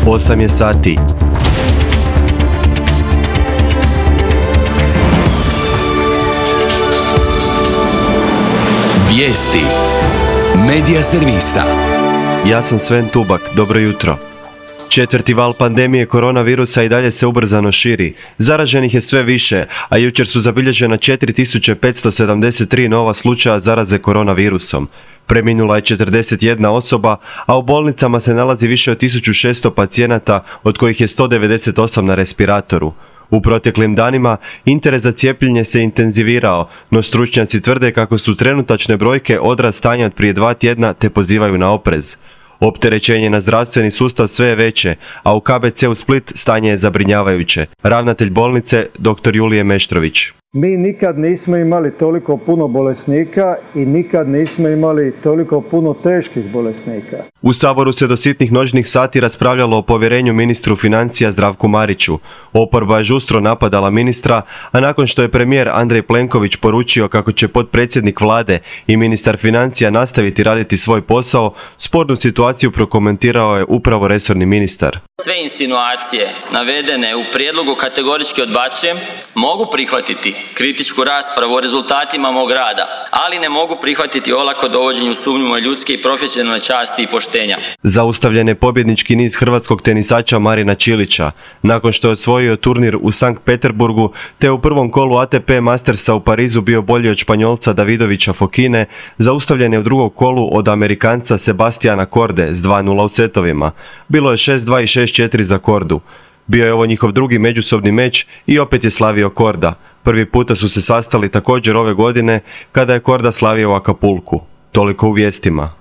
8 je sati. Vijesti Medija servisa. Ja sam Sven Tubak, dobro jutro. Četvrti val pandemije koronavirusa i dalje se ubrzano širi. Zaraženih je sve više, a jučer su zabilježena 4573 nova slučaja zaraze koronavirusom. Preminula je 41 osoba, a u bolnicama se nalazi više od 1600 pacijenata, od kojih je 198 na respiratoru. U proteklim danima interes za cijepljenje se intenzivirao, no stručnjaci tvrde kako su trenutačne brojke odraz stanja od prije 2 tjedna te pozivaju na oprez. Opterećenje na zdravstveni sustav sve je veće, a u KBC-u Split stanje je zabrinjavajuće. Ravnatelj bolnice, dr. Julije Meštrović. Mi nikad nismo imali toliko puno bolesnika i nikad nismo imali toliko puno teških bolesnika. U Saboru se do sitnih noćnih sati raspravljalo o povjerenju ministru financija Zdravku Mariću. Oporba je žustro napadala ministra, a nakon što je premijer Andrej Plenković poručio kako će potpredsjednik vlade i ministar financija nastaviti raditi svoj posao, spornu situaciju prokomentirao je upravo resorni ministar. Sve insinuacije navedene u prijedlogu kategorički odbacujem, mogu prihvatiti kritičku raspravu o rezultatima mog rada, ali ne mogu prihvatiti olako dovođenje u sumnju moje ljudske i profesionalne časti i poštenja. Zaustavljen je pobjednički niz hrvatskog tenisača Marina Čilića. Nakon što je osvojio turnir u Sankt Peterburgu, te u prvom kolu ATP Mastersa u Parizu bio bolji od Španjolca Davidovića Fokine, zaustavljen je u drugom kolu od Amerikanca Sebastiana Korde s 2:0 u setovima. Bilo je 6:2 i 6:4 za Kordu. Bio je ovo njihov drugi međusobni meč i opet je slavio Korda. Prvi puta su se sastali također ove godine kada je Korda slavio u Acapulcu. Toliko u vijestima.